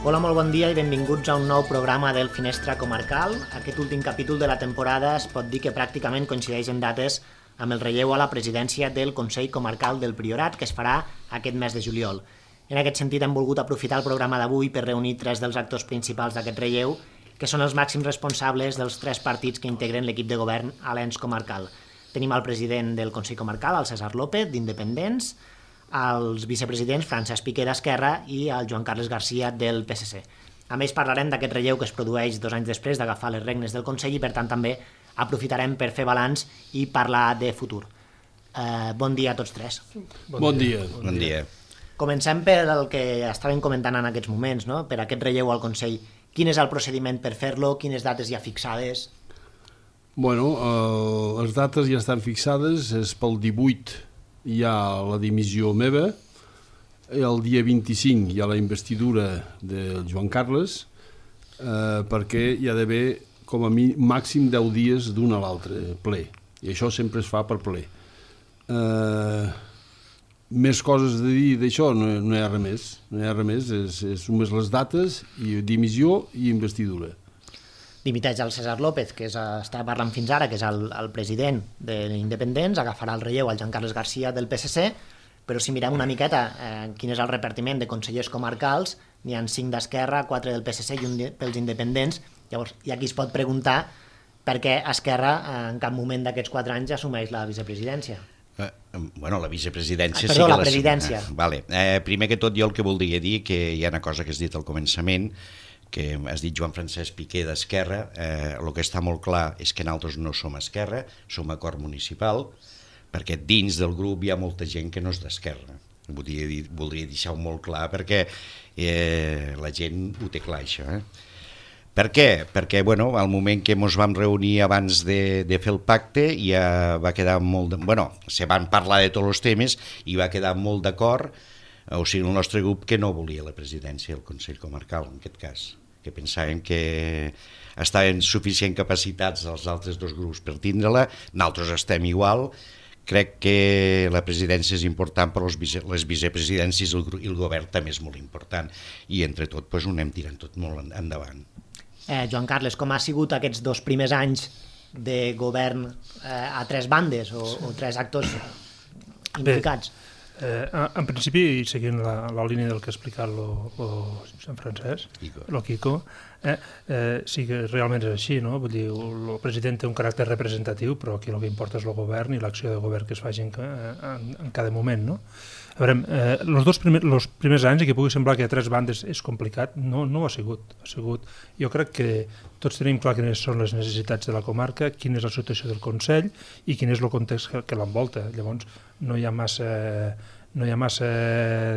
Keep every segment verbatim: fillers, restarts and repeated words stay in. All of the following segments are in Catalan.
Hola, molt bon dia i benvinguts a un nou programa del Finestra Comarcal. Aquest últim capítol de la temporada es pot dir que pràcticament coincideix en dates amb el relleu a la presidència del Consell Comarcal del Priorat, que es farà aquest mes de juliol. En aquest sentit, hem volgut aprofitar el programa d'avui per reunir tres dels actors principals d'aquest relleu, que són els màxims responsables dels tres partits que integren l'equip de govern a l'ens comarcal. Tenim el president del Consell Comarcal, el César López, d'Independents, els vicepresidents Francesc Piqué d'Esquerra i el Joan Carles Garcia del P S C. A més, parlarem d'aquest relleu que es produeix dos anys després d'agafar les regnes del Consell i, per tant, també aprofitarem per fer balanç i parlar de futur. Eh, bon dia a tots tres. Bon, bon dia. dia. Bon dia. Comencem per el que estàvem comentant en aquests moments, no? Per aquest relleu al Consell. Quin és el procediment per fer-lo? Quines dates hi ha fixades? Bueno, eh, les dates ja estan fixades, és pel divuit hi ha la dimissió meva, el dia vint-i-cinc hi ha la investidura del Joan Carles, eh, perquè hi ha d'haver com a mi, màxim deu dies d'un a l'altre ple, i això sempre es fa per ple. Eh, més coses a dir d'això, no, no hi ha res més, no hi ha res més, és, és només les dates, i dimissió i investidura. Dimiteix el César López, que és, està parlant fins ara, que és el, el president de l'Independents, agafarà el relleu al Joan Carles Garcia del P S C, però si mirem una miqueta eh, quin és el repartiment de consellers comarcals, n'hi ha cinc d'Esquerra, quatre del P S C i un pels Independents. Llavors, i aquí es pot preguntar per què Esquerra eh, en cap moment d'aquests quatre anys assumeix la vicepresidència. Eh, bueno, la vicepresidència... Ah, perdó, sí que la presidència. Ah, vale. eh, primer que tot, jo el que voldria dir que hi ha una cosa que has dit al començament, que has dit Joan Francesc Piqué d'Esquerra, eh, el que està molt clar és que nosaltres no som Esquerra, som Acord Municipal, perquè dins del grup hi ha molta gent que no és d'Esquerra. Voldria, dir, voldria deixar-ho molt clar perquè eh, la gent ho té clar, això. Eh? Per què? Perquè bueno, al moment que ens vam reunir abans de, de fer el pacte ja va quedar molt... De, bueno, se van parlar de tots els temes i va quedar molt d'acord, o sigui, el nostre grup que no volia la presidència del Consell Comarcal, en aquest cas, que pensàvem que estaven suficient capacitats els altres dos grups per tindre-la, nosaltres estem igual. Crec que la presidència és important, però les, vice, les vicepresidències i el, i el govern també és molt important, i entre tot doncs, ho anem tirant tot molt endavant. Eh, Joan Carles, com ha sigut aquests dos primers anys de govern eh, a tres bandes o, o tres actors implicats? Bé. Eh, en principi, seguint la, la línia del que ha explicat el Sant Francesc, el Quico, eh, eh, sí que realment és així, no? Vull dir, el president té un caràcter representatiu, però aquí el que importa és el govern i l'acció de govern que es faci en, en, en cada moment, no? A veure, eh, els dos primers, els primers anys, i que pugui semblar que a tres bandes és complicat, no, no ho ha sigut, ha sigut. Jo crec que tots tenim clar quines són les necessitats de la comarca, quina és la situació del Consell i quin és el context que, que l'envolta. Llavors, no hi ha massa, no hi ha massa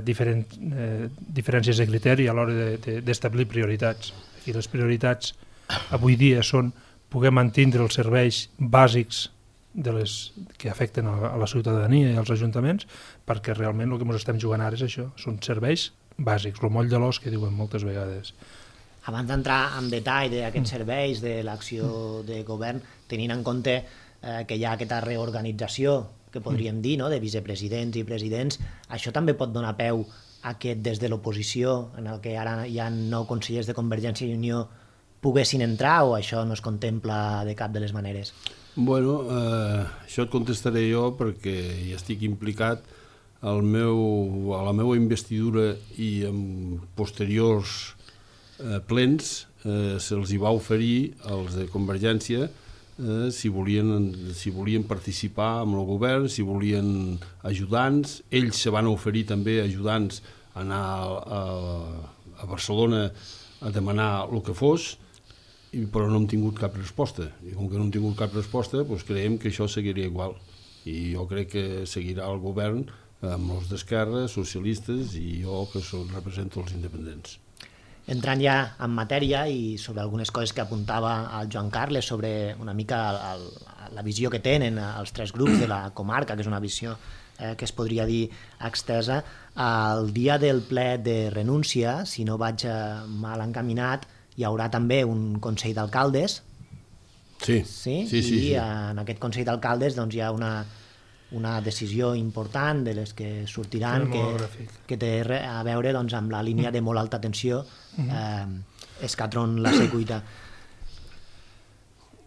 diferent, eh, diferències de criteri a l'hora d'establir de, de, prioritats. I les prioritats avui dia són poder mantindre els serveis bàsics de les que afecten a la ciutadania i als ajuntaments, perquè realment el que ens estem jugant ara és això, són serveis bàsics, el moll de l'os que diuen moltes vegades. Abans d'entrar en detall d'aquests serveis, de l'acció de govern, tenint en compte eh, que hi ha aquesta reorganització, que podríem dir, no?, de vicepresidents i presidents, això també pot donar peu a que des de l'oposició, en el que ara hi ha nou consellers de Convergència i Unió, poguessin entrar, o això no es contempla de cap de les maneres? Bueno, eh, això et contestaré jo perquè hi estic implicat. El meu, a la meva investidura i en posteriors eh, plens eh, se'ls hi va oferir als de Convergència eh, si, volien, si volien participar amb el govern, si volien ajudants. Ells se van oferir també ajudants a anar a, a Barcelona a demanar el que fos, però no hem tingut cap resposta, i com que no hem tingut cap resposta, doncs creiem que això seguiria igual, i jo crec que seguirà el govern amb els d'Esquerra, socialistes i jo, que són, represento els independents. Entrant ja en matèria i sobre algunes coses que apuntava el Joan Carles sobre una mica el, el, la visió que tenen els tres grups de la comarca, que és una visió eh, que es podria dir extesa, el dia del ple de renúncia, si no vaig mal encaminat, hi haurà també un Consell d'Alcaldes. Sí, sí, sí, sí. I sí. en aquest Consell d'Alcaldes doncs, hi ha una una decisió important de les que sortiran que, que té a veure doncs, amb la línia de molt alta tensió eh, Escatron-La Secuita.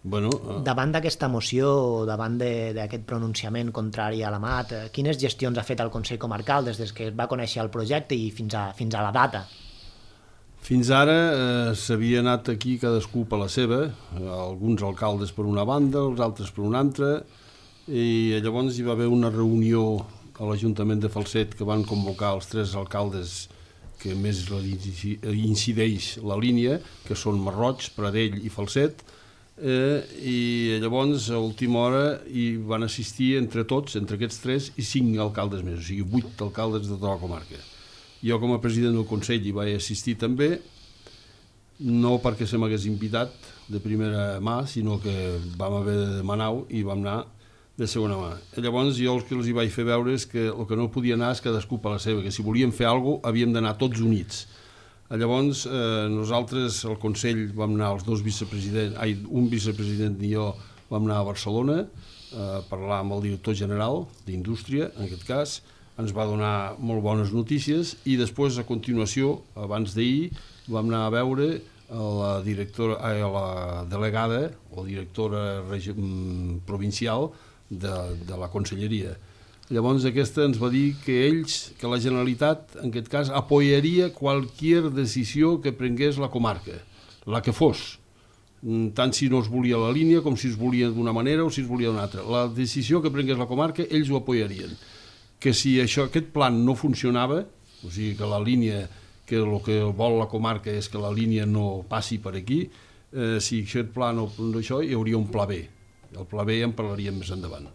Bueno, uh... Davant d'aquesta moció, davant d'aquest pronunciament contrari a l'Amat, eh, quines gestions ha fet el Consell Comarcal des que es va conèixer el projecte i fins a, fins a la data? Fins ara eh, s'havia anat aquí cadascú per la seva, alguns alcaldes per una banda, els altres per una altra, i llavors hi va haver una reunió a l'Ajuntament de Falset que van convocar els tres alcaldes que més incideix la línia, que són Marroig, Pradell i Falset, eh, i llavors a última hora hi van assistir entre tots, entre aquests tres, i cinc alcaldes més, o sigui, vuit alcaldes de tota la comarca. Jo com a president del Consell hi vaig assistir també, no perquè se m'hagués invitat de primera mà, sinó que vam haver de demanar-ho i vam anar de segona mà. I llavors jo el que els hi vaig fer veure és que el que no podia anar és cadascú per la seva, que si volíem fer alguna cosa havíem d'anar tots units. Llavors eh, nosaltres, el Consell, vam anar els dos vicepresidents, ai, un vicepresident i jo vam anar a Barcelona eh, a parlar amb el director general d'Indústria, en aquest cas, ens va donar molt bones notícies i després, a continuació, abans d'ahir, vam anar a veure a la, directora, a la delegada o directora provincial de, de la Conselleria. Llavors aquesta ens va dir que ells, que la Generalitat, en aquest cas, apoyaria qualsevol decisió que prengués la comarca, la que fos, tant si no es volia la línia com si es volia d'una manera o si es volia d'una altra. La decisió que prengués la comarca, ells ho apoyarien. Que si això, aquest plan no funcionava, o sigui que la línia, que el que vol la comarca és que la línia no passi per aquí, eh, si aquest pla no, això, hi hauria un pla B. El pla B en parlaríem més endavant.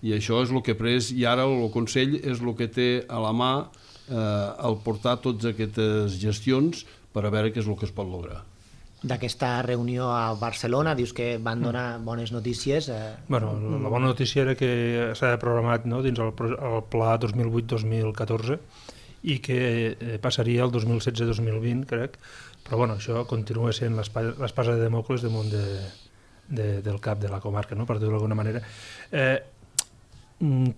I això és el que ha pres, i ara el Consell és el que té a la mà eh, el portar totes aquestes gestions per a veure què és el que es pot lograr. D'aquesta reunió a Barcelona, dius que van donar bones notícies. Eh... Bueno, la bona notícia era que s'ha programat, no, dins el, el pla dos mil vuit dos mil catorze i que eh, passaria el dos mil setze dos mil vint, crec, però bueno, això continua sent l'espasa de Demòcles damunt de, de, del cap de la comarca, no, per dir-ho d'alguna manera. Eh,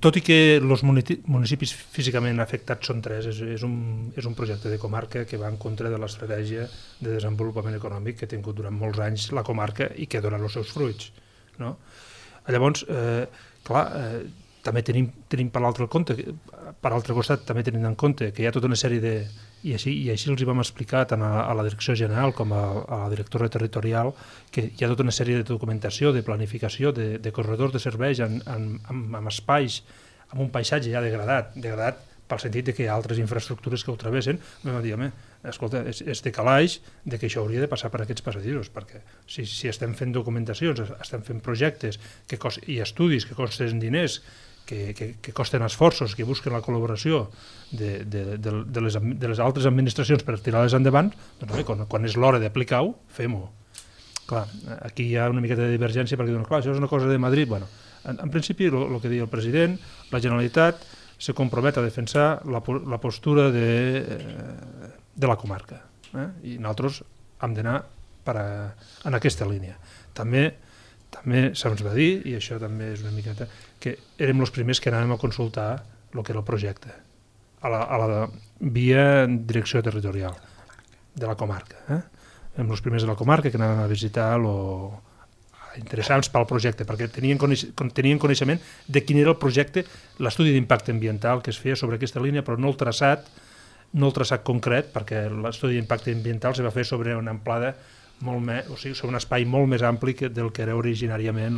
tot i que els municipis físicament afectats són tres, és, és, un, és un projecte de comarca que va en contra de l'estratègia de desenvolupament econòmic que ha tingut durant molts anys la comarca i que ha donat els seus fruits. No? Llavors, eh, clar, eh, també tenim, tenim per l'altre compte, per altre costat també tenim en compte que hi ha tota una sèrie de... I així, i així els hi vam explicar tant a, a la direcció general com a, a la directora territorial que hi ha tota una sèrie de documentació, de planificació, de, de corredors de serveis en, en, en, en espais, amb un paisatge ja degradat, degradat pel sentit de que hi ha altres infraestructures que ho travessen. Vam dir, home, escolta, és, és de calaix de que això hauria de passar per aquests passadissos, perquè si, si estem fent documentacions, estem fent projectes que cost, i estudis que costen diners, Que, que, que costen esforços, que busquen la col·laboració de, de, de, de, les, de les altres administracions per tirar-les endavant, doncs bé, quan, quan és l'hora d'aplicar-ho, fem-ho. Clar, aquí hi ha una miqueta de divergència perquè diuen, clar, això és una cosa de Madrid. Bueno, en, en principi, el que diu el president, la Generalitat se compromet a defensar la, la postura de, de la comarca. Eh? I nosaltres hem d'anar en aquesta línia. També També se'ns va dir, i això també és una miqueta, que érem els primers que anàvem a consultar el que era el projecte, a la, a la via direcció territorial de la comarca. Eh? Érem els primers de la comarca que anàvem a visitar lo interessants pel projecte, perquè tenien, coneix, tenien coneixement de quin era el projecte, l'estudi d'impacte ambiental que es feia sobre aquesta línia, però no el traçat, no el traçat concret, perquè l'estudi d'impacte ambiental se va fer sobre una amplada molt més, o sigui, sobre un espai molt més ampli que del que era originàriament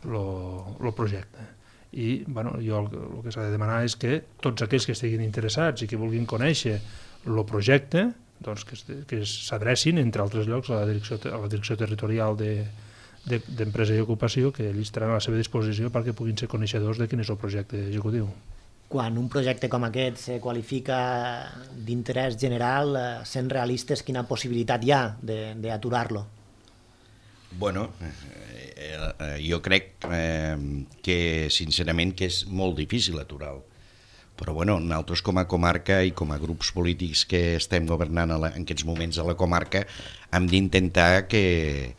el projecte. I bueno, jo el, el que s'ha de demanar és que tots aquells que estiguin interessats i que vulguin conèixer el projecte, doncs que, que s'adrecin, entre altres llocs, a la direcció, a la direcció territorial d'Empresa de, de, i Ocupació, que ells estaran a la seva disposició perquè puguin ser coneixedors de quin és el projecte executiu. Quan un projecte com aquest se qualifica d'interès general, sent realistes, quina possibilitat hi ha d'aturar-lo? Bueno, eh, jo crec eh, que sincerament que és molt difícil aturar-lo. Però bueno, nosaltres com a comarca i com a grups polítics que estem governant la, en aquests moments a la comarca hem d'intentar que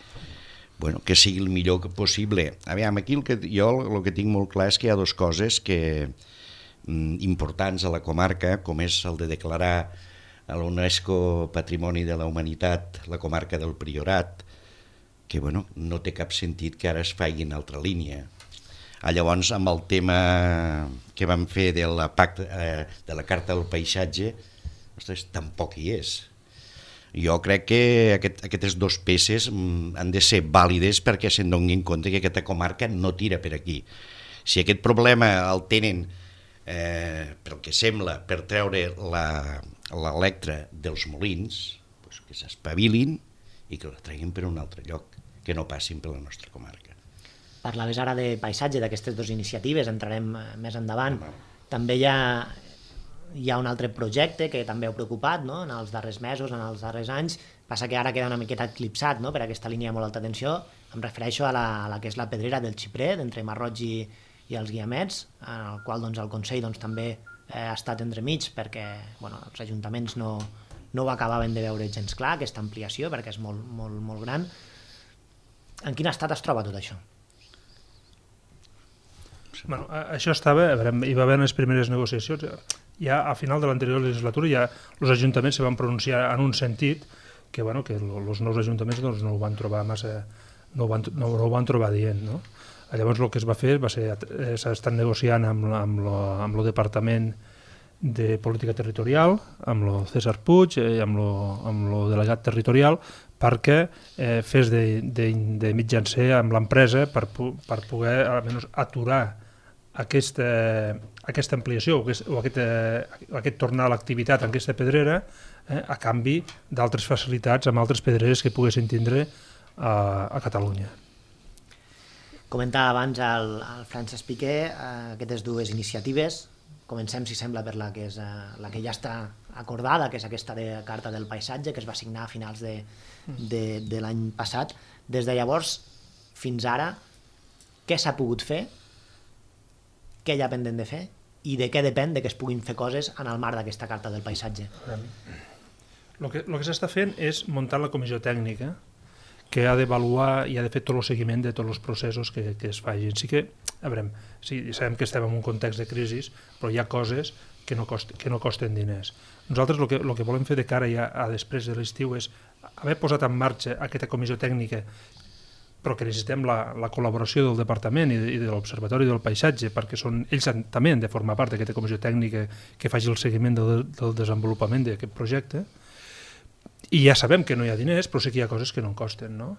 bueno, que sigui el millor possible. Aviam, aquí el que, jo el que tinc molt clar és que hi ha dues coses que, mm, importants a la comarca, com és el de declarar a l'UNESCO Patrimoni de la Humanitat la comarca del Priorat, que bueno, no té cap sentit que ara es faci en altra línia. Ah, llavors, amb el tema que vam fer de la, pacte, eh, de la Carta del Paisatge, ostres, tampoc hi és. Jo crec que aquest, aquestes dues peces mm, han de ser vàlides perquè se'n donin compte que aquesta comarca no tira per aquí. Si aquest problema el tenen, eh, pel que sembla, per treure l'Electra dels molins, doncs que s'espavilin i que la treguin per un altre lloc, que no passin per la nostra comarca. Parlaves ara de paisatge, d'aquestes dues iniciatives, entrarem més endavant. També hi ha, hi ha un altre projecte que també heu preocupat, no?, en els darrers mesos, en els darrers anys. Passa que ara queda una miqueta eclipsat, no?, per aquesta línia de molt alta tensió. Em refereixo a la, a la que és la pedrera del Xipret, entre Marroig i, i els Guiamets, en el qual doncs, el Consell doncs, també eh, ha estat entremig perquè bueno, els ajuntaments no, no ho acabaven de veure gens clar, aquesta ampliació, perquè és molt, molt, molt gran. En quin estat es troba tot això? Bueno, això estava, a veure, hi va haver les primeres negociacions, ja a final de l'anterior legislatura ja els ajuntaments se van pronunciar en un sentit que, bueno, que els nous ajuntaments doncs, no ho van trobar massa, no ho van, no, no ho van trobar dient, no? Llavors el que es va fer va ser, eh, s'ha estat negociant amb, amb, lo, amb el Departament de Política Territorial, amb el César Puig i amb el delegat territorial perquè eh, fes de, de, de mitjancer amb l'empresa per, per poder almenys aturar aquesta, aquesta ampliació o aquest, o aquest, eh, aquest tornar a l'activitat en aquesta pedrera eh, a canvi d'altres facilitats amb altres pedreres que poguessin tindre a, a Catalunya. Comentava abans el, el Francesc Piqué eh, aquestes dues iniciatives. Comencem, si sembla, per la que, és, uh, la que ja està acordada, que és aquesta de Carta del Paisatge, que es va signar a finals de, de, de l'any passat. Des de llavors fins ara, què s'ha pogut fer, què hi ha pendent de fer i de què depèn de que es puguin fer coses en el marc d'aquesta Carta del Paisatge? El que, el que s'està fent és muntar la comissió tècnica que ha d'avaluar i ha de fer tot el seguiment de tots els processos que, que es facin. Sí que, a veure, sí, sabem que estem en un context de crisi, però hi ha coses que no, cost, que no costen diners. Nosaltres el que, el que volem fer de cara ja a després de l'estiu és haver posat en marxa aquesta comissió tècnica, però que necessitem la, la col·laboració del Departament i de, i de l'Observatori del Paisatge, perquè són, ells també han de formar part d'aquesta comissió tècnica que faci el seguiment del, del desenvolupament d'aquest projecte. I ja sabem que no hi ha diners, però sí que hi ha coses que no en costen, no?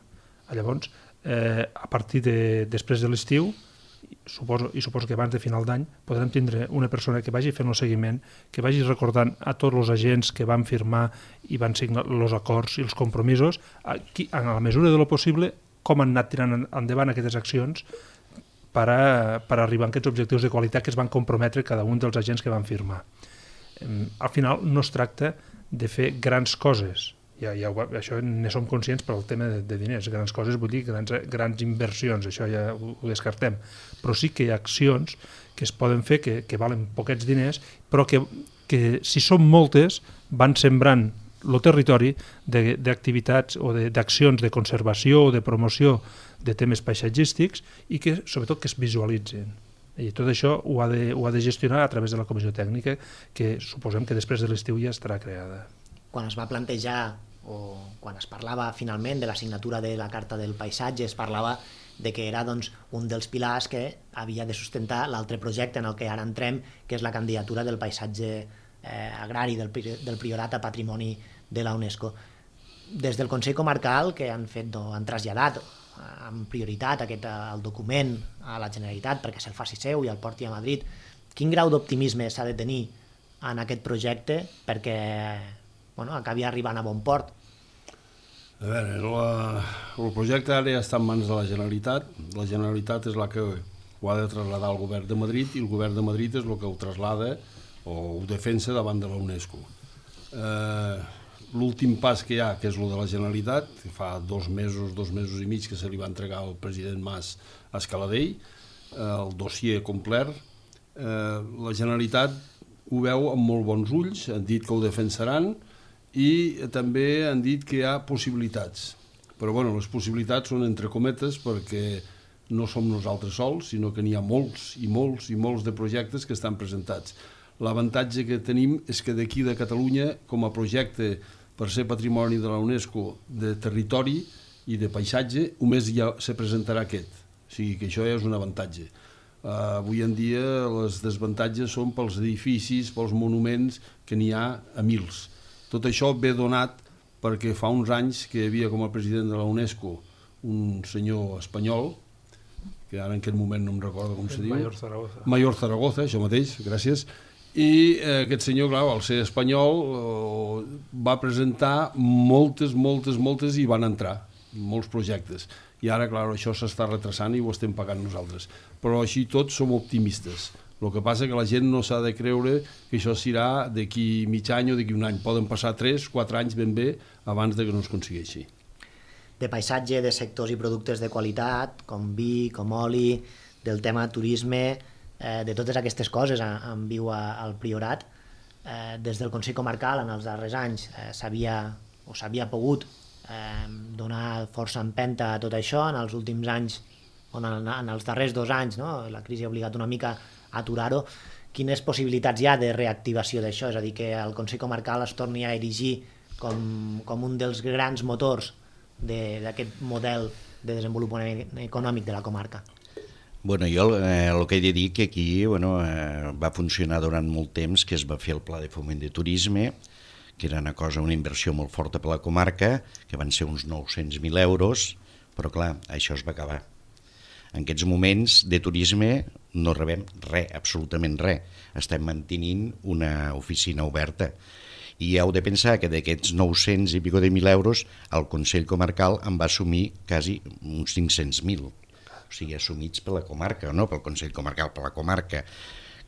Llavors, eh, a partir de després de l'estiu, suposo, i suposo que abans de final d'any, podrem tindre una persona que vagi fent el seguiment, que vagi recordant a tots els agents que van firmar i van signar els acords i els compromisos, aquí, en la mesura de lo possible, com han anat tirant endavant aquestes accions per, a, per arribar a aquests objectius de qualitat que es van comprometre cada un dels agents que van firmar. Eh, al final no es tracta de fer grans coses, ja, ja, això ne som conscients per al tema de, de diners, grans coses vull dir grans, grans inversions, això ja ho, ho descartem, però sí que hi ha accions que es poden fer que, que valen poquets diners, però que, que si són moltes van sembrant el territori d'activitats o d'accions de, de conservació o de promoció de temes paisatgístics i que sobretot que es visualitzen. I tot això ho ha, de, ho ha de gestionar a través de la comissió tècnica que suposem que després de l'estiu ja estarà creada. Quan es va plantejar o quan es parlava finalment de la signatura de la Carta del Paisatge es parlava de que era doncs, un dels pilars que havia de sustentar l'altre projecte en el que ara entrem, que és la candidatura del paisatge eh, agrari del, del Priorat a Patrimoni de la UNESCO. Des del Consell Comarcal, que han, fet, no, han traslladat amb prioritat aquest, el document a la Generalitat perquè se'l faci seu i el porti a Madrid, quin grau d'optimisme s'ha de tenir en aquest projecte perquè bueno, acabi arribant a bon port? A veure, la, el projecte ara ja està en mans de la Generalitat. La Generalitat és la que ho ha de traslladar al govern de Madrid i el govern de Madrid és el que ho traslada o ho defensa davant de la UNESCO. Eh, L'últim pas que hi ha, que és el de la Generalitat, que fa dos mesos, dos mesos i mig que se li va entregar al president Mas a Escaladell, el dossier complet, eh, la Generalitat ho veu amb molt bons ulls, han dit que ho defensaran i també han dit que hi ha possibilitats. Però bueno, les possibilitats són entre cometes perquè no som nosaltres sols, sinó que n'hi ha molts i molts i molts de projectes que estan presentats. L'avantatge que tenim és que d'aquí de Catalunya, com a projecte per ser patrimoni de la UNESCO de territori i de paisatge, només ja se presentarà aquest. O sigui que això ja és un avantatge. Uh, avui en dia les desavantatges són pels edificis, pels monuments, que n'hi ha a mils. Tot això ve donat perquè fa uns anys que hi havia com a president de la UNESCO un senyor espanyol, que ara en aquest moment no em recordo com se diu. Mayor Zaragoza. Mayor Zaragoza, això mateix, gràcies. I eh, aquest senyor, clar, al ser espanyol, eh, va presentar moltes, moltes, moltes i van entrar, molts projectes. I ara, clar, això s'està retrasant i ho estem pagant nosaltres. Però així tots som optimistes. El que passa que la gent no s'ha de creure que això serà d'aquí mig any o d'aquí un any. Poden passar tres, quatre anys ben bé abans de que no es aconsegueixi. De paisatge, de sectors i productes de qualitat, com vi, com oli, del tema turisme, eh, de totes aquestes coses en viu al Priorat. Eh, des del Consell Comarcal, en els darrers anys, eh, s'havia o s'havia pogut eh, donar força empenta a tot això. En els últims anys, o en, en els darrers dos anys, no? La crisi ha obligat una mica a aturar-ho. Quines possibilitats hi ha de reactivació d'això? És a dir, que el Consell Comarcal es torni a erigir com, com un dels grans motors d'aquest model de desenvolupament econòmic de la comarca. Bueno, jo eh, el que he de dir que aquí bueno, eh, va funcionar durant molt temps, que es va fer el Pla de Foment de Turisme, que era una cosa, una inversió molt forta per la comarca, que van ser uns nou-cents mil euros, però clar, això es va acabar. En aquests moments de turisme no rebem res, absolutament res. Estem mantenint una oficina oberta. I heu de pensar que d'aquests nou-cents i pico de mil euros el Consell Comarcal en va assumir quasi uns cinc-cents mil. O sigui, assumits per la comarca, no pel Consell Comarcal, per la comarca.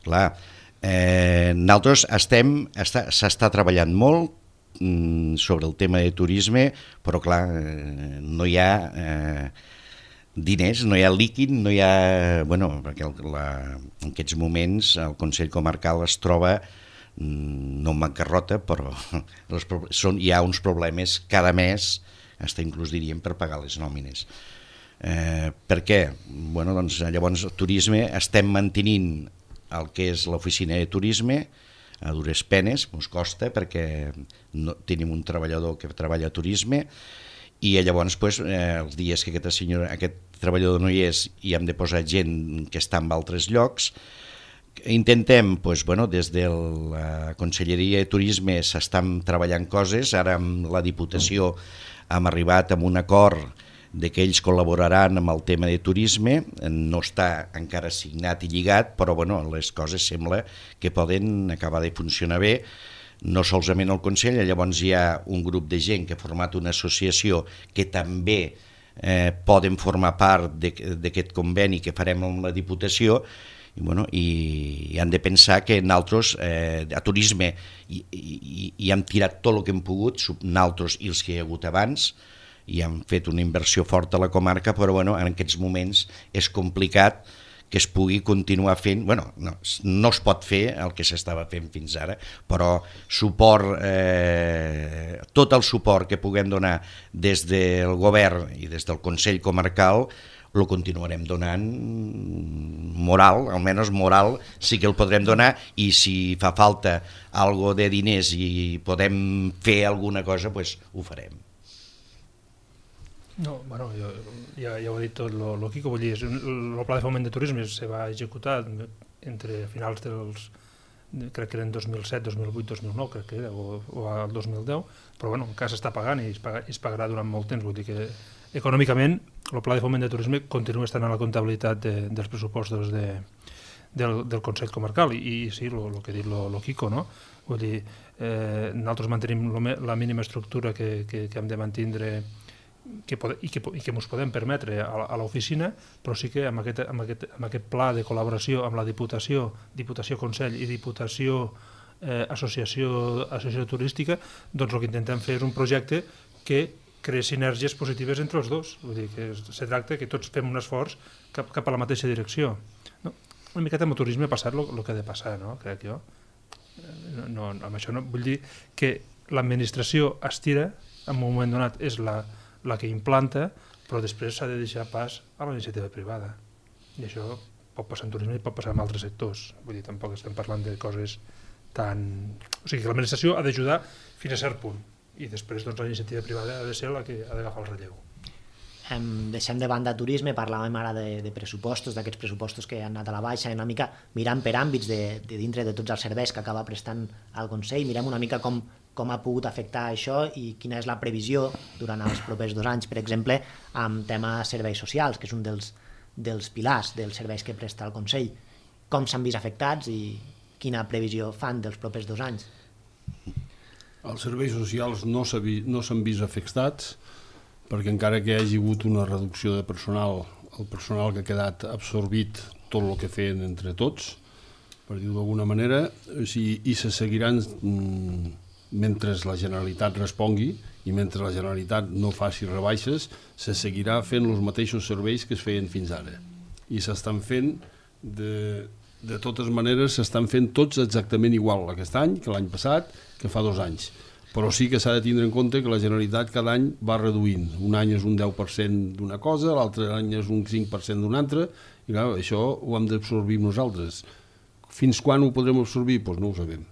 Clar, eh, nosaltres estem, està, s'està treballant molt mm, sobre el tema de turisme, però clar, eh, no hi ha eh, diners, no hi ha líquid, no hi ha... Bueno, perquè el, la, en aquests moments el Consell Comarcal es troba no en bancarrota, però les, són, hi ha uns problemes cada mes, fins inclús diríem per pagar les nòmines. Eh, per què? Bueno, doncs, llavors, turisme, estem mantenint el que és l'oficina de turisme a dures penes, ens costa, perquè no, tenim un treballador que treballa a turisme, i llavors pues, eh, els dies que aquest, senyor, aquest treballador no hi és i hem de posar gent que està en altres llocs, intentem, pues, bueno, des de la Conselleria de Turisme s'estan treballant coses, ara amb la Diputació hem arribat a un acord de que ells col·laboraran amb el tema de turisme, no està encara signat i lligat, però bueno, les coses sembla que poden acabar de funcionar bé, no solament el Consell, llavors hi ha un grup de gent que ha format una associació que també eh, poden formar part d'aquest conveni que farem amb la Diputació, i, bueno, i, i han de pensar que nosaltres eh, a turisme i, i, i hem tirat tot el que hem pogut, nosaltres i els que hi ha hagut abans, i hem fet una inversió forta a la comarca, però bueno, en aquests moments és complicat que es pugui continuar fent, bueno, no, no es pot fer el que s'estava fent fins ara, però suport, eh, tot el suport que puguem donar des del govern i des del Consell Comarcal el continuarem donant moral, almenys moral sí que el podrem donar, i si fa falta algo de diners i podem fer alguna cosa, pues ho farem. No, bueno, jo, ja, ja ho ha dit tot lo, lo Quico, vull dir, el Pla de Foment de Turisme se va executar entre finals dels, crec que eren dos mil set, dos mil vuit, dos mil nou, crec que era, o, o al dos mil deu, però bueno, encara s'està pagant i es, paga, es pagarà durant molt temps, vull dir que econòmicament el Pla de Foment de Turisme continua estant a la comptabilitat de, dels pressupostos de, del, del Consell Comarcal i, i sí, el que ha dit lo Quico, no? Vull dir, eh, nosaltres mantenim lo, la mínima estructura que, que, que hem de mantindre que pode, i que, i que ens podem permetre a, a l'oficina, però sí que amb aquest, amb, aquest, amb aquest pla de col·laboració amb la Diputació, Diputació Consell i Diputació eh, Associació, Associació Turística, doncs el que intentem fer és un projecte que crear sinergies positives entre els dos. Vull dir que se tracta que tots fem un esforç cap, cap a la mateixa direcció. No? Una miqueta amb el turisme ha passat el que ha de passar, no? Crec jo. No, no, amb això no vull dir que l'administració estira, en un moment donat és la, la que implanta, però després s'ha de deixar pas a la iniciativa privada. I això pot passar en turisme i pot passar en altres sectors. Vull dir, tampoc estem parlant de coses tan... O sigui, que l'administració ha d'ajudar fins a cert punt i després doncs, la iniciativa privada ha de ser la que ha d'agafar el relleu. Em deixem de banda turisme, parlàvem ara de, de pressupostos, d'aquests pressupostos que han anat a la baixa, una mica mirant per àmbits de, de dintre de tots els serveis que acaba prestant el Consell, mirem una mica com, com ha pogut afectar això i quina és la previsió durant els propers dos anys, per exemple, amb tema serveis socials, que és un dels, dels pilars dels serveis que presta el Consell. Com s'han vist afectats i quina previsió fan dels propers dos anys? Els serveis socials no s'han vist afectats, perquè encara que hi hagi hagut una reducció de personal, el personal que ha quedat absorbit tot el que feien entre tots, per dir-ho d'alguna manera, i se seguiran, mentre la Generalitat respongui i mentre la Generalitat no faci rebaixes, se seguirà fent els mateixos serveis que es feien fins ara. I s'estan fent, de, de totes maneres, s'estan fent tots exactament igual aquest any que l'any passat, que fa dos anys. Però sí que s'ha de tindre en compte que la Generalitat cada any va reduint. Un any és un deu per cent d'una cosa, l'altre any és un cinc per cent d'una altra, i clar, això ho hem d'absorbir nosaltres. Fins quan ho podrem absorbir? Doncs no ho sabem.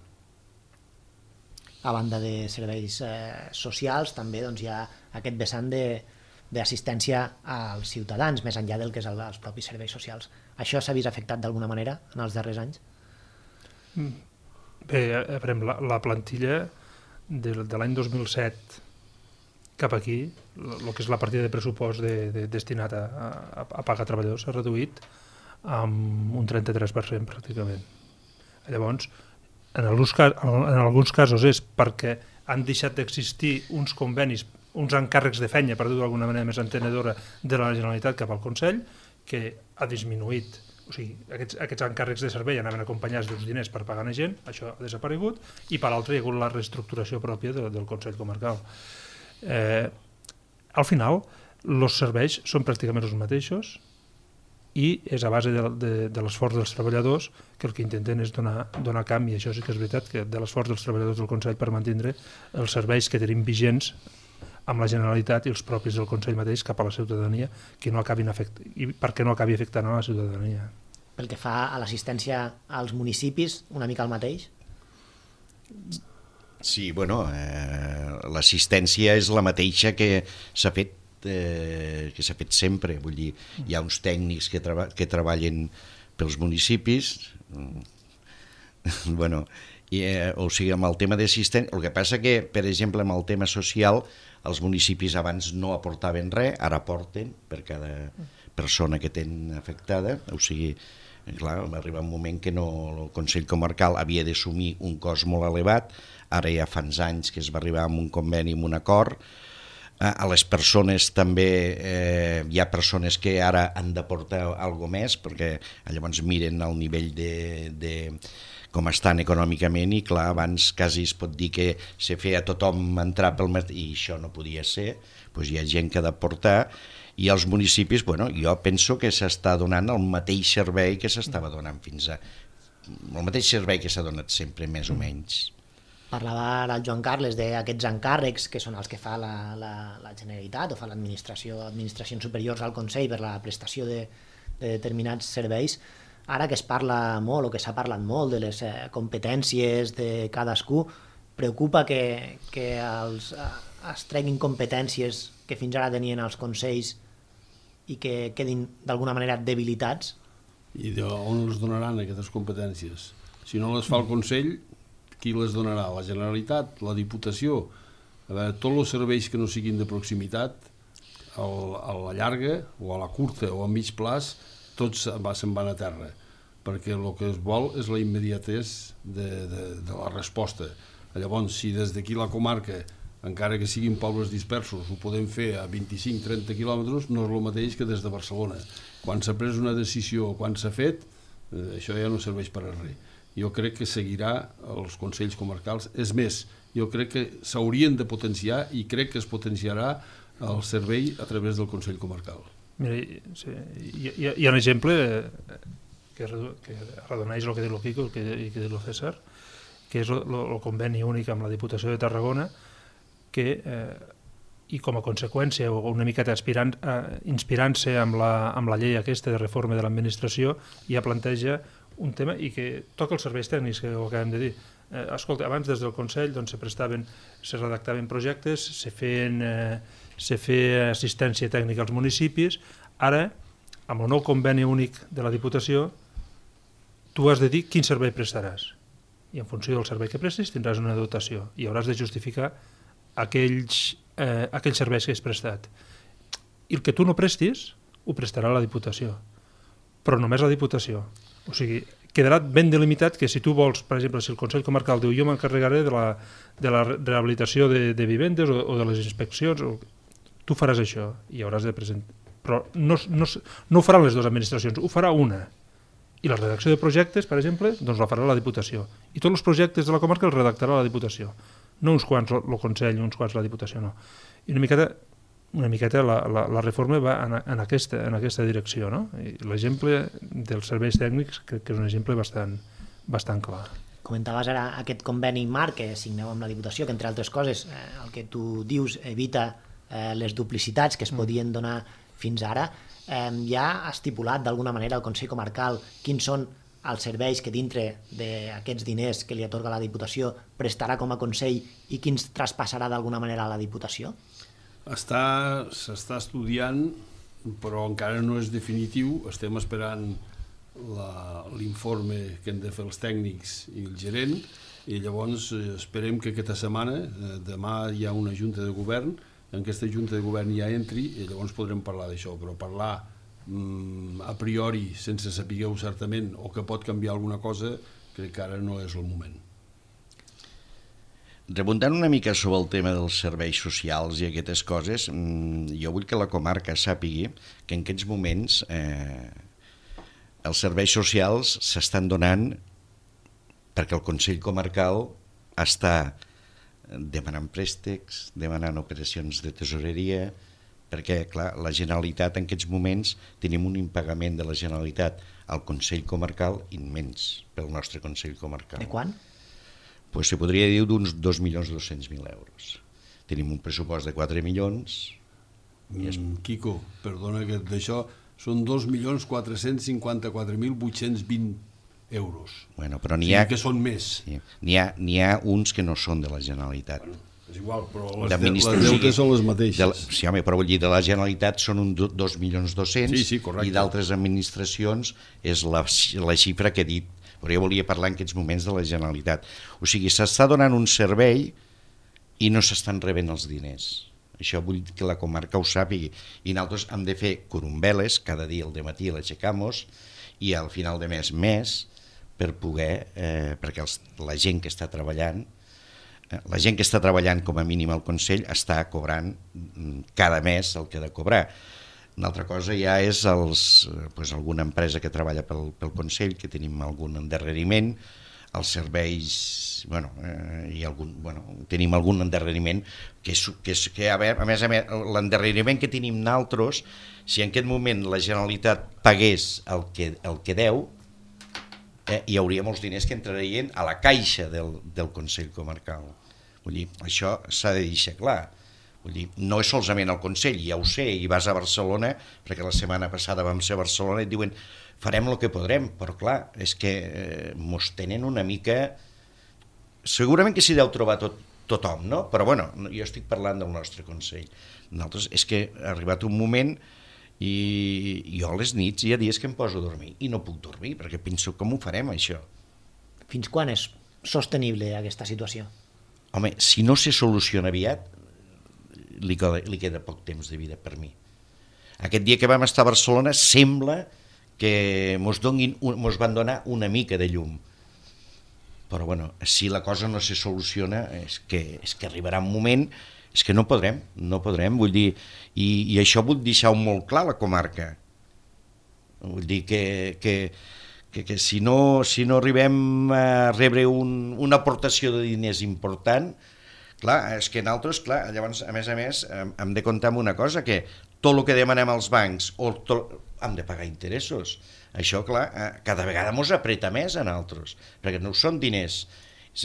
A banda de serveis eh, socials, també doncs, hi ha aquest vessant d'assistència als ciutadans, més enllà del que és el, els propis serveis socials. Això s'ha vist afectat d'alguna manera en els darrers anys? Bé, a veure, la, la plantilla de, de l'any dos mil set cap aquí, el que és la partida de pressupost de, de, destinat a, a, a pagar treballadors s'ha reduït amb un trenta-tres per cent pràcticament. Llavors, en alguns, en alguns casos és perquè han deixat d'existir uns convenis, uns encàrrecs de feina, per dir-ho d'alguna manera més entenedora, de la Generalitat cap al Consell, que ha disminuït. O sigui, aquests, aquests encàrrecs de servei anaven acompanyats d'uns diners per pagar a gent, això ha desaparegut, i per l'altre hi ha hagut la reestructuració pròpia de, del Consell Comarcal. Eh, al final, els serveis són pràcticament els mateixos i és a base de, de, de l'esforç dels treballadors que el que intenten és donar, donar camp, i això sí que és veritat, que de l'esforç dels treballadors del Consell per mantenir els serveis que tenim vigents amb la Generalitat i els propis del Consell mateix cap a la ciutadania, que no acabin afect... i perquè no acabi afectant a la ciutadania. Pel que fa a l'assistència als municipis, una mica el mateix? Sí, bueno, eh, l'assistència és la mateixa que s'ha fet, eh, que s'ha fet sempre. Vull dir, hi ha uns tècnics que, treba que treballen pels municipis, bueno, i, eh, o sigui, amb el tema d'assistència, el que passa que, per exemple, amb el tema social, els municipis abans no aportaven res, ara aporten per cada persona que tenen afectada, o sigui, clar, va arribar un moment que no, el Consell Comarcal havia d'assumir un cost molt elevat, ara ja fa uns anys que es va arribar amb un conveni, amb un acord. A les persones també, eh, hi ha persones que ara han d'aportar alguna més, perquè llavors miren el nivell de, de com estan econòmicament, i clar, abans quasi es pot dir que se feia tothom entrar pel mercat, i això no podia ser, doncs hi ha gent que ha d'aportar, i als municipis, bueno, jo penso que s'està donant el mateix servei que s'estava donant fins a... el mateix servei que s'ha donat sempre, més o menys. Parlava ara el Joan Carles d'aquests encàrrecs que són els que fa la, la, la Generalitat o fa l'administració, administracions superiors al Consell per la prestació de, de determinats serveis. Ara que es parla molt o que s'ha parlat molt de les eh, competències de cadascú, preocupa que, que els, eh, es treguin competències que fins ara tenien els consells i que quedin d'alguna manera debilitats? I on els donaran aquestes competències? Si no les fa el Consell, qui les donarà? La Generalitat? La Diputació? A veure, tots els serveis que no siguin de proximitat, a la llarga o a la curta o a mig plaç, tots se'n van a terra, perquè el que es vol és la immediatesa de, de, de la resposta. Llavors, si des d'aquí la comarca, encara que siguin pobles dispersos, ho podem fer a vint-i-cinc a trenta quilòmetres, no és el mateix que des de Barcelona. Quan s'ha pres una decisió, quan s'ha fet, eh, això ja no serveix per a res. Jo crec que seguirà els consells comarcals. És més, jo crec que s'haurien de potenciar i crec que es potenciarà el servei a través del Consell Comarcal. Mira, sí, hi, hi, hi ha un exemple que, que redoneix el que diu el Quico i el que, que diu el César, que és el, el conveni únic amb la Diputació de Tarragona, que eh, i com a conseqüència, o una miqueta aspirant, eh, inspirant-se amb la, amb la llei aquesta de reforma de l'administració, ja planteja un tema i que toca els serveis tècnics, que ho acabem de dir. Eh, escolta, abans des del Consell doncs, se prestaven, se redactaven projectes, se feien, eh, se feia assistència tècnica als municipis. Ara, amb el nou conveni únic de la Diputació, tu has de dir quin servei prestaràs. I en funció del servei que prestis tindràs una dotació i hauràs de justificar aquells, eh, aquells serveis que has prestat. I el que tu no prestis ho prestarà la Diputació, però només la Diputació. O sigui, quedarà ben delimitat que si tu vols, per exemple, si el Consell Comarcal diu jo m'encarregaré de, la, de la rehabilitació de, de vivendes o, o de les inspeccions, o, tu faràs això i hauràs de presentar. Però no, no, no ho faran les dues administracions, ho farà una. I la redacció de projectes, per exemple, doncs la farà la Diputació. I tots els projectes de la comarca els redactarà la Diputació. No uns quants el Consell, uns quants la Diputació, no. I una miqueta, una miqueta la, la, la reforma va en, en, aquesta, en aquesta direcció, no? L'exemple dels serveis tècnics crec que és un exemple bastant, bastant clar. Comentaves ara aquest conveni marc que signeu amb la Diputació, que entre altres coses eh, el que tu dius evita eh, les duplicitats que es podien donar fins ara. Eh, ja ha estipulat d'alguna manera el Consell Comarcal quins són els serveis que dintre d'aquests diners que li atorga la Diputació prestarà com a Consell i quins traspassarà d'alguna manera a la Diputació? Està, s'està estudiant, però encara no és definitiu. Estem esperant l'informe que han de fer els tècnics i el gerent i llavors esperem que aquesta setmana, demà hi ha una junta de govern, en aquesta junta de govern ja entri i llavors podrem parlar d'això, però parlar a priori, sense saber-ho certament, o que pot canviar alguna cosa, crec que ara no és el moment. Rebundant una mica sobre el tema dels serveis socials i aquestes coses, jo vull que la comarca sàpigui que en aquests moments eh, els serveis socials s'estan donant perquè el Consell Comarcal està demanant préstecs, demanant operacions de tesoreria, perquè, clar, la Generalitat en aquests moments tenim un impagament de la Generalitat al Consell Comarcal immens pel nostre Consell Comarcal. De quan? Pues se podria dir d'uns dos milions dos-cents mil euros. Tenim un pressupost de quatre milions. Es... Mm, Quico, perdona que d'això són dos milions quatre-cents cinquanta-quatre mil vuit-cents vint euros. Bueno, però n'hi ha... Sí, que són més. Sí, n'hi ha, n'hi ha uns que no són de la Generalitat. Bueno, és igual, però les, de, les deutes són les mateixes. De la, sí, home, però vull dir, de la Generalitat són un dos milions dos-cents sí, sí, i d'altres administracions és la, la xifra que he dit. Però jo volia parlar en aquests moments de la Generalitat. O sigui, s'està donant un servei i no s'estan rebent els diners. Això vull que la comarca ho sàpigui. I nosaltres hem de fer corumbeles, cada dia al dematí l'aixecamos, i al final de mes més, per poder, eh, perquè els, la gent que està treballant, eh, la gent que està treballant com a mínim al Consell està cobrant cada mes el que ha de cobrar. Una altra cosa ja és els, doncs, alguna empresa que treballa pel, pel Consell, que tenim algun endarreriment, els serveis, bueno, eh, i algun, bueno, tenim algun endarreriment, que, és, que, és, que a, veure, a més a més, l'endarreriment que tenim nosaltres, si en aquest moment la Generalitat pagués el que, el que deu, eh, hi hauria molts diners que entrarien a la caixa del, del Consell Comarcal. Vull dir, això s'ha de deixar clar. Vull dir, no és solament el Consell, ja ho sé, i vas a Barcelona, perquè la setmana passada vam ser a Barcelona i et diuen farem el que podrem, però clar, és que eh, mos tenen una mica... Segurament que s'hi deu trobar tot, tothom, no? Però bueno, jo estic parlant del nostre Consell. Nosaltres és que ha arribat un moment i jo a les nits hi ha dies que em poso a dormir i no puc dormir, perquè penso com ho farem això. Fins quan és sostenible aquesta situació? Home, si no se soluciona aviat, Li queda, li queda poc temps de vida per mi. Aquest dia que vam estar a Barcelona sembla que mos, donguin, mos van donar una mica de llum, però bueno, si la cosa no se soluciona és que, és que arribarà un moment, és que no podrem, no podrem, vull dir, i, i això vull deixar molt clar a la comarca, vull dir que, que, que, que si, no, si no arribem a rebre un, una aportació de diners important, clar, és que nosaltres, clar, llavors, a més a més, hem de comptar amb una cosa, que tot el que demanem als bancs, o tot, hem de pagar interessos. Això, clar, cada vegada ens apreta més a nosaltres, perquè no són diners,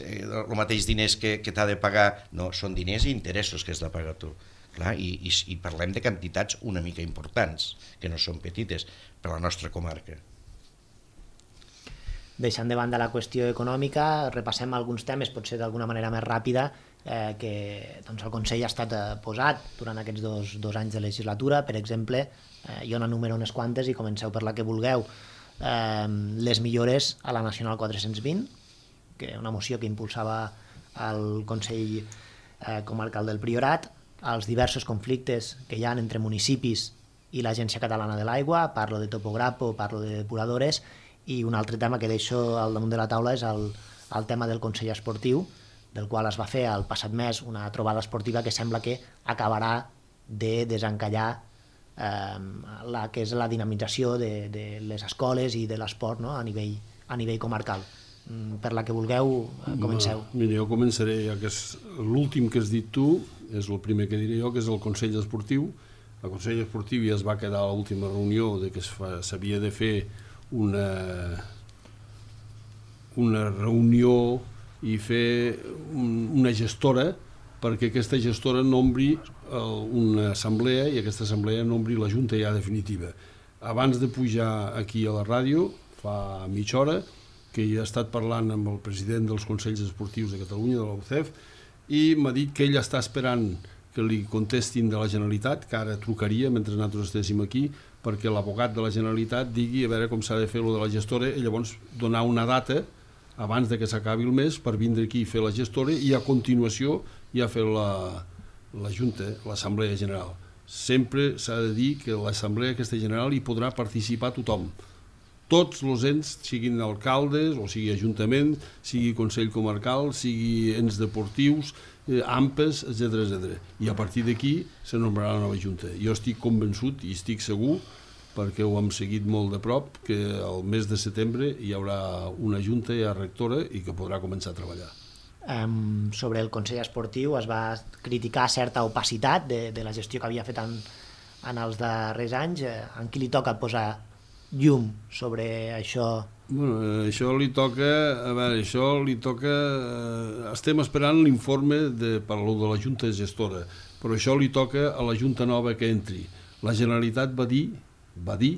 el mateix diners que, que t'ha de pagar, no, són diners i interessos que has de pagar tu. Clar, i, i, i parlem de quantitats una mica importants, que no són petites per a la nostra comarca. Deixant de banda la qüestió econòmica, repassem alguns temes, potser d'alguna manera més ràpida, eh, que doncs, el Consell ha estat eh, posat durant aquests dos, dos anys de legislatura. Per exemple, eh, jo n'enumero unes quantes i comenceu per la que vulgueu. Eh, les millores a la Nacional quatre-cents vint, que una moció que impulsava el Consell eh, Comarcal del Priorat, els diversos conflictes que hi ha entre municipis i l'Agència Catalana de l'Aigua, parlo de topograpo, parlo de depuradores, i un altre tema que deixo al damunt de la taula és el, el tema del Consell Esportiu, del qual es va fer el passat mes una trobada esportiva que sembla que acabarà de desencallar eh, la que és la dinamització de, de les escoles i de l'esport, no? a, nivell, a nivell comarcal. Per la que vulgueu, comenceu. No, mira, jo començaré, ja que és l'últim que has dit tu, és el primer que diré jo, que és el Consell Esportiu. El Consell Esportiu ja es va quedar a l'última reunió de que s'havia de fer una, una reunió i fer un, una gestora perquè aquesta gestora nombri una assemblea i aquesta assemblea nombri la Junta ja definitiva. Abans de pujar aquí a la ràdio, fa mitja hora, que hi ha estat parlant amb el president dels Consells Esportius de Catalunya, de la U C E F, i m'ha dit que ell està esperant que li contestin de la Generalitat, que ara trucaria mentre nosaltres estéssim aquí, perquè l'abogat de la Generalitat digui a veure com s'ha de fer lo de la gestora i llavors donar una data abans de que s'acabi el mes per vindre aquí i fer la gestora i a continuació ja fer la, la Junta, l'Assemblea General. Sempre s'ha de dir que l'Assemblea aquesta general hi podrà participar tothom. Tots els ens, siguin alcaldes, o sigui ajuntament, sigui Consell Comarcal, sigui ens deportius, eh, AMPES, etcètera etcètera. I a partir d'aquí se nombrarà la nova Junta. Jo estic convençut i estic segur, perquè ho hem seguit molt de prop, que el mes de setembre hi haurà una Junta ja rectora i que podrà començar a treballar. Um, sobre el Consell Esportiu es va criticar certa opacitat de, de la gestió que havia fet en, en els darrers anys. En qui li toca posar llum sobre això? Bueno, això li toca, a veure, això li toca, eh, estem esperant l'informe de, per lo de la Junta Gestora, però això li toca a la Junta nova que entri. La Generalitat va dir, va dir,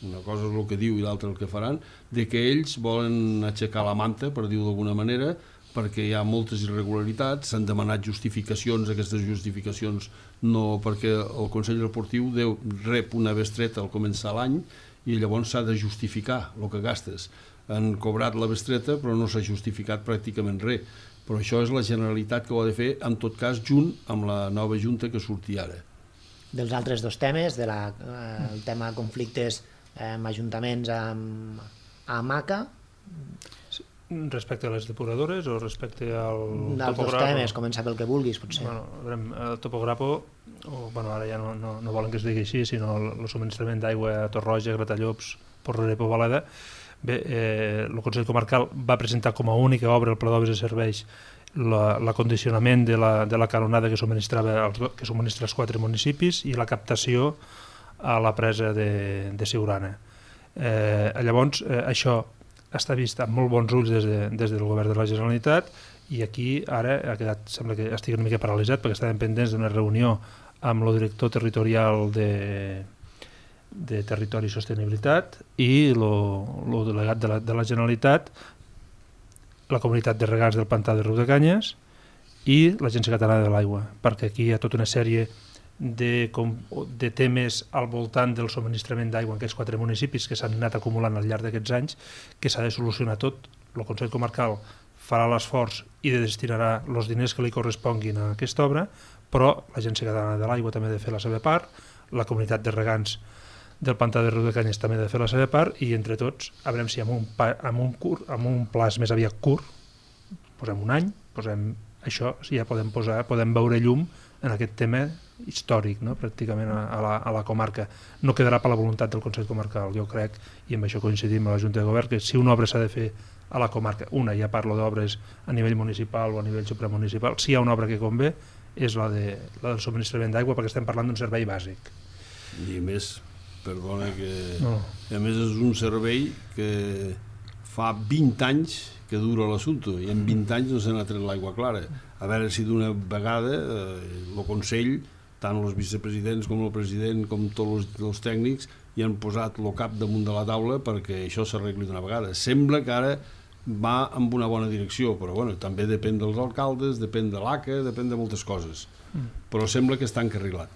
una cosa és el que diu i l'altra el que faran, de que ells volen aixecar la manta, per dir-ho d'alguna manera, perquè hi ha moltes irregularitats, s'han demanat justificacions, aquestes justificacions no, perquè el Consell Esportiu deu, rep una bestreta al començar l'any, i llavors s'ha de justificar el que gastes. Han cobrat la bestreta però no s'ha justificat pràcticament res. Però això és la Generalitat que ho ha de fer, en tot cas, junt amb la nova Junta que surti ara. Dels altres dos temes, de la, eh, el tema conflictes eh, amb ajuntaments amb, amb A C A, respecte a les depuradores o respecte al dels dos temes, comença pel que vulguis, potser. Bueno, el topograpo, o, bueno, ara ja no, no, no volen que es digui així, sinó el, el subministrament d'aigua a Torroja, Gratallops, Porrera i Pobaleda. Bé, eh, el Consell Comarcal va presentar com a única obra el pla d'obres de serveis l'acondicionament de, la, de la canonada que subministrava els, que subministra els quatre municipis i la captació a la presa de, de Siurana. Eh, llavors, eh, això està vist amb molt bons ulls des, de, des del govern de la Generalitat i aquí ara ha quedat, sembla que estigui una mica paralitzat perquè estàvem pendents d'una reunió amb el director territorial de, de Territori i Sostenibilitat i el delegat de la, de la Generalitat, la comunitat de regants del Pantà de Riudecanyes i l'Agència Catalana de l'Aigua, perquè aquí hi ha tota una sèrie De, com, de temes al voltant del subministrament d'aigua en aquests quatre municipis que s'han anat acumulant al llarg d'aquests anys que s'ha de solucionar tot. El Consell Comarcal farà l'esforç i destinarà els diners que li corresponguin a aquesta obra, però l'Agència Catalana de l'Aigua també ha de fer la seva part, la comunitat de regants del Pantà de Riudecanyes també ha de fer la seva part i entre tots, a veure si amb un, amb un, curt, amb un plaç més aviat curt, posem un any, posem això, ja podem, posar, podem veure llum en aquest tema històric, no? Pràcticament a la, a la comarca. No quedarà per la voluntat del Consell Comarcal, jo crec, i amb això coincidim a la Junta de Govern, que si una obra s'ha de fer a la comarca, una, ja parlo d'obres a nivell municipal o a nivell supramunicipal, si hi ha una obra que convé és la, de, la del subministrament d'aigua perquè estem parlant d'un servei bàsic. I a més, perdona que... No. A més és un servei que fa vint anys que dura l'assumpte i en vint anys no se n'ha tret l'aigua clara. A veure si d'una vegada eh, el Consell tant els vicepresidents com el president com tots els, els tècnics, i han posat el cap damunt de la taula perquè això s'arregli d'una vegada. Sembla que ara va en una bona direcció, però bueno, també depèn dels alcaldes, depèn de l'A C A, depèn de moltes coses, però sembla que està encarrilat.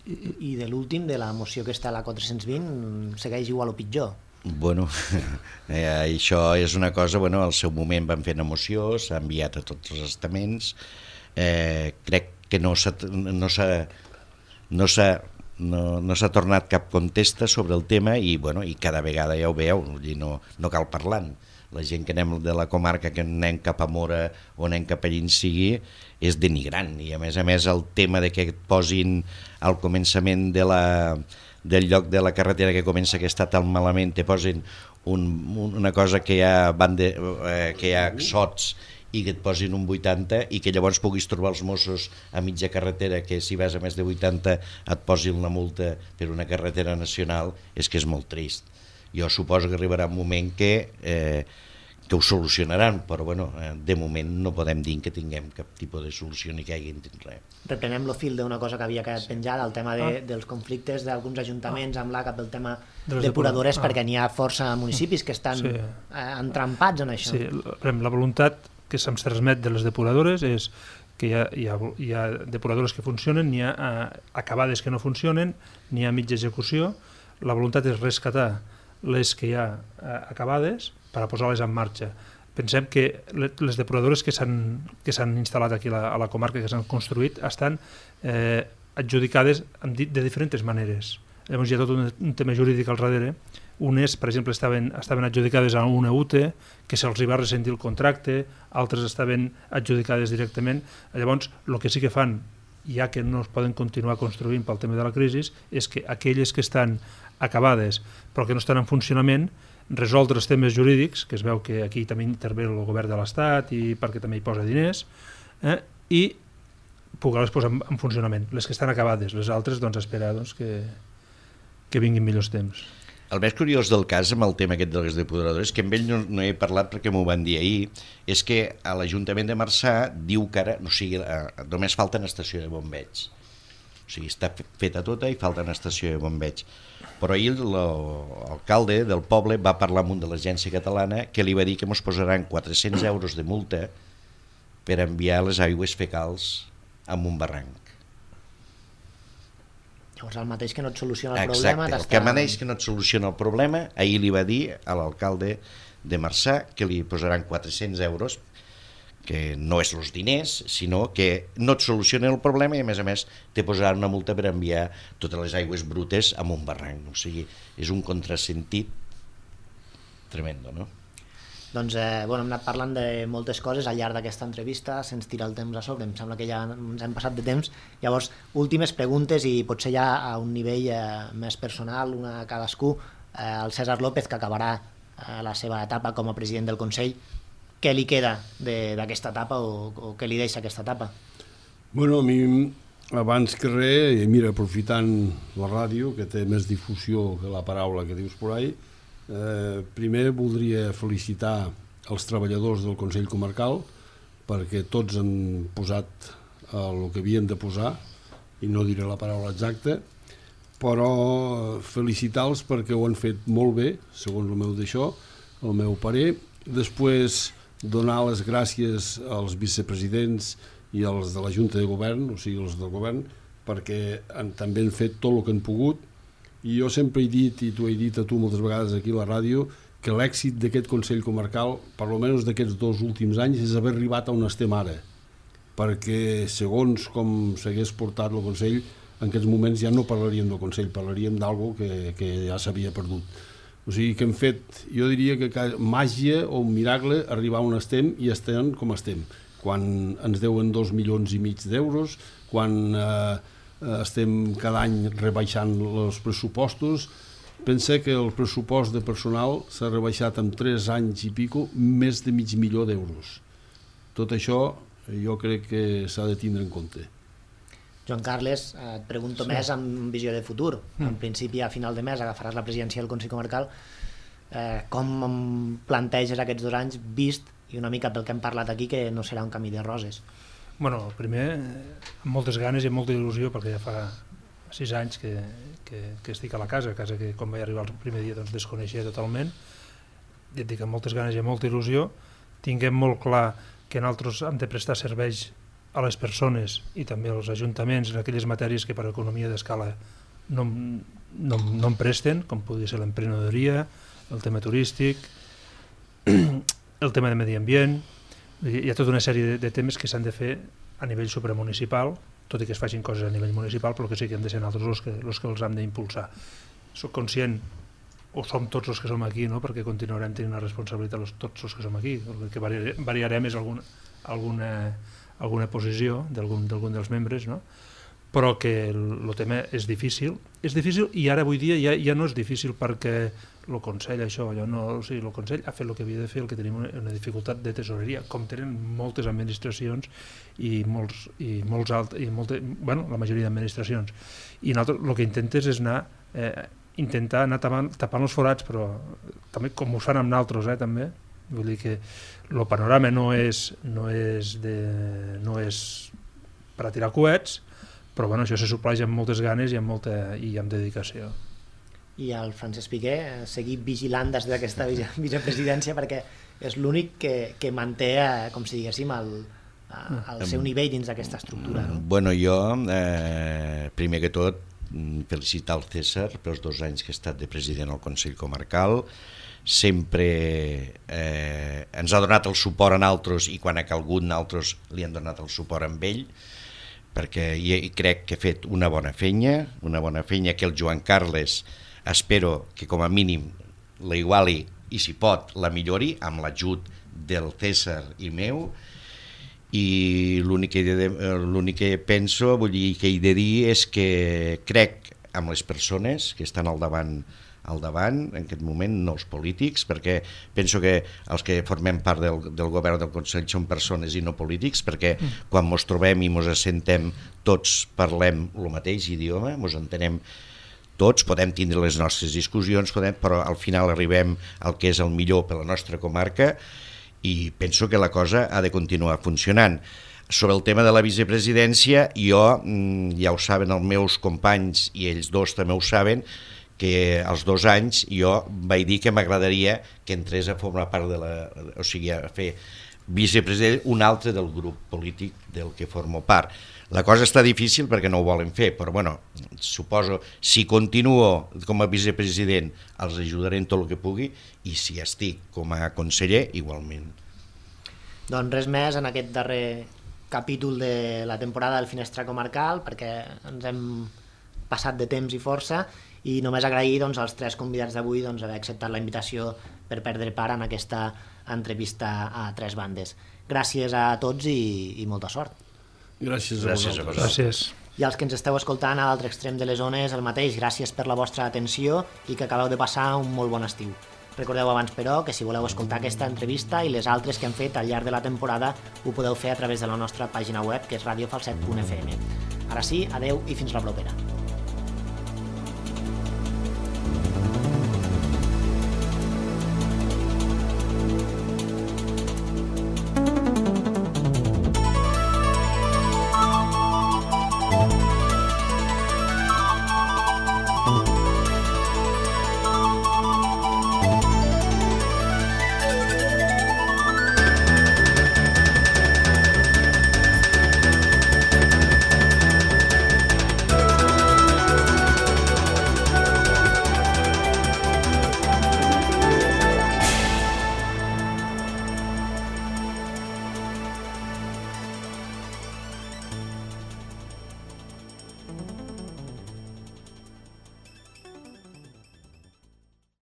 I, i de l'últim, de la moció que està a la quatre-cents vint, segueix igual o pitjor? Bueno, eh, això és una cosa, bueno, al seu moment van fer una moció, s'ha enviat a tots els estaments, eh, crec que no s'ha no s'ha no s'ha no, no s'ha tornat cap contesta sobre el tema i, bueno, i cada vegada ja ho veieu, no, no cal parlar-ne. La gent que anem de la comarca, que anem cap a Mora o anem cap a allà sigui, és denigrant, i a més a més el tema de que et posin al començament de la, del lloc de la carretera que comença que està tan malament, te posin un, una cosa que hi ha, bande, eh, que hi ha sots i que et posin un vuitanta i que llavors puguis trobar els Mossos a mitja carretera, que si vas a més de vuitanta et posin una multa per una carretera nacional, és que és molt trist. Jo suposo que arribarà un moment que, eh, que ho solucionaran, però bueno, eh, de moment no podem dir que tinguem cap tipus de solució ni que hi hagi res. Reprenem el fil d'una cosa que havia quedat sí. penjada, el tema de, ah. dels conflictes d'alguns ajuntaments ah. amb l'A C A pel tema de depuradores, ah. perquè n'hi ha força municipis que estan sí. eh, entrampats en això. Sí, la voluntat que se'ns transmet de les depuradores és que hi ha, hi ha, hi ha depuradores que funcionen, n'hi ha eh, acabades que no funcionen, n'hi ha mitja execució. La voluntat és rescatar les que hi ha eh, acabades per a posar-les en marxa. Pensem que les depuradores que s'han que s'han instal·lat aquí a la, a la comarca, que s'han construït, estan eh, adjudicades de diferents maneres. Llavors hi ha tot un, un tema jurídic al darrere. Unes, per exemple, estaven, estaven adjudicades a una U T E, que se'ls va ressentir el contracte, altres estaven adjudicades directament. Llavors, el que sí que fan, ja que no es poden continuar construint pel tema de la crisi, és que aquelles que estan acabades però que no estan en funcionament, resoldre els temes jurídics, que es veu que aquí també intervé el govern de l'Estat i perquè també hi posa diners, eh, i poder-les posar en, en funcionament. Les que estan acabades, les altres, doncs, esperar doncs, que, que vinguin millors temps. El més curiós del cas amb el tema aquest de les depuradores, que amb ell no, no he parlat perquè m'ho van dir ahir, és que a l'Ajuntament de Marçà diu que ara, o sigui, eh, només falta una estació de bombeig. O sigui, està feta tota i falta una estació de bombeig. Però ahir l'alcalde del poble va parlar amb un de l'agència catalana que li va dir que ens posaran quatre-cents euros de multa per enviar les aigües fecals a un barranc. Llavors el mateix que no et soluciona el Exacte, problema... Exacte, el mateix que no et soluciona el problema, ahir li va dir a l'alcalde de Marçà que li posaran quatre-cents euros, que no és els diners, sinó que no et soluciona el problema i a més a més te posaran una multa per enviar totes les aigües brutes a un barranc. O sigui, és un contrasentit tremendo, no? Doncs eh, bueno, hem anat parlant de moltes coses al llarg d'aquesta entrevista, se'ns tira el temps a sobre, em sembla que ja ens hem passat de temps. Llavors, últimes preguntes i potser ja a un nivell eh, més personal, una a cadascú. Eh, el César López, que acabarà eh, la seva etapa com a president del Consell, què li queda d'aquesta etapa o, o què li deixa aquesta etapa? Bueno, a mi, abans que res, mira, aprofitant la ràdio, que té més difusió que la paraula que dius por ahí, eh, primer voldria felicitar els treballadors del Consell Comarcal perquè tots han posat el que havien de posar, i no diré la paraula exacta, però felicitar-los perquè ho han fet molt bé, segons el meu d'això, el meu parer. Després, donar les gràcies als vicepresidents i als de la Junta de Govern, o sigui, els del govern, perquè han, també han fet tot el que han pogut. I jo sempre he dit, i t'ho he dit a tu moltes vegades aquí a la ràdio, que l'èxit d'aquest Consell Comarcal, per almenys d'aquests dos últims anys, és haver arribat a on estem ara. Perquè, segons com s'hagués portat el Consell, en aquests moments ja no parlaríem del Consell, parlaríem d'algo que, que ja s'havia perdut. O sigui que hem fet, jo diria que màgia o un miracle arribar on estem i estem com estem. Quan ens deuen dos milions i mig d'euros, quan eh, estem cada any rebaixant els pressupostos, pensa que el pressupost de personal s'ha rebaixat en tres anys i pico més de mig milió d'euros. Tot això jo crec que s'ha de tindre en compte. Joan Carles, et pregunto sí. més amb visió de futur. Mm. En principi, a final de mes agafaràs la presidència del Consell Comarcal. Eh, com em planteges aquests dos anys, vist, i una mica pel que hem parlat aquí, que no serà un camí de roses? Bueno, primer, amb moltes ganes i amb molta il·lusió, perquè ja fa sis anys que, que, que estic a la casa, casa que quan vaig arribar el primer dia doncs, desconeixia totalment. I et dic, amb moltes ganes i amb molta il·lusió, tinguem molt clar que nosaltres hem de prestar serveis a les persones i també als ajuntaments en aquelles matèries que per economia d'escala no, no, no en presten, com podria ser l'emprenedoria, el tema turístic, el tema de medi ambient. Hi ha tota una sèrie de, de temes que s'han de fer a nivell supramunicipal, tot i que es facin coses a nivell municipal, però que sí que hem de ser nosaltres els que, els que els hem d'impulsar. Soc conscient, o som tots els que som aquí, no? Perquè continuarem tenint una responsabilitat els, tots els que som aquí. El que variarem, variarem és alguna, alguna, alguna posició d'algun dels membres, no? Però que el, el tema és difícil. És difícil i ara avui dia ja, ja no és difícil perquè el Consell, això, allò no, o sigui, el Consell ha fet el que havia de fer, el que tenim una, una dificultat de tesoreria, com tenen moltes administracions i molts, i molts alt, i molte, bueno, la majoria d'administracions. I nosaltres el que intentes és anar, eh, intentar anar tapant, tapant els forats, però també com ho fan amb nosaltres, eh, també. Vull dir que el panorama no és, no és, de, no és per a tirar coets, però bueno, això se supleix amb moltes ganes i amb, molta, i amb dedicació. I el Francesc Piqué, seguir vigilant des d'aquesta vicepresidència perquè és l'únic que, que manté, com si diguéssim, el, el seu nivell dins d'aquesta estructura. No? Bueno, jo, eh, primer que tot, felicitar el César pels dos anys que ha estat de president al Consell Comarcal. Sempre eh, ens ha donat el suport a nosaltres i quan ha calgut nosaltres li han donat el suport amb ell, perquè hi crec que ha fet una bona feina, una bona feina que el Joan Carles espero que com a mínim la iguali i si pot la millori amb l'ajut del César i meu, i l'únic que, l'únic que penso, vull dir, que he de dir és que crec amb les persones que estan al davant al davant, en aquest moment, no els polítics, perquè penso que els que formem part del, del govern del Consell són persones i no polítics, perquè quan ens trobem i ens assentem tots parlem el mateix idioma, ens entenem tots, podem tindre les nostres discussions, podem, però al final arribem al que és el millor per la nostra comarca i penso que la cosa ha de continuar funcionant. Sobre el tema de la vicepresidència, jo, ja ho saben els meus companys i ells dos també ho saben, que als dos anys jo vaig dir que m'agradaria que entrés a formar part de la... o sigui, a fer vicepresident un altre del grup polític del que formo part. La cosa està difícil perquè no ho volen fer, però bueno, suposo, si continuo com a vicepresident els ajudaré en tot el que pugui i si estic com a conseller, igualment. Doncs res més en aquest darrer capítol de la temporada del Finestra Comarcal, perquè ens hem passat de temps i força, i només agrair doncs, als tres convidats d'avui doncs, haver acceptat la invitació per perdre part en aquesta entrevista a tres bandes. Gràcies a tots i, i molta sort. Gràcies a Gràcies vosaltres. a Gràcies. I als que ens esteu escoltant a l'altre extrem de les zones, el mateix, gràcies per la vostra atenció i que acabeu de passar un molt bon estiu. Recordeu abans, però, que si voleu escoltar aquesta entrevista i les altres que hem fet al llarg de la temporada ho podeu fer a través de la nostra pàgina web, que és radio falset punt f m. Ara sí, adeu i fins la propera.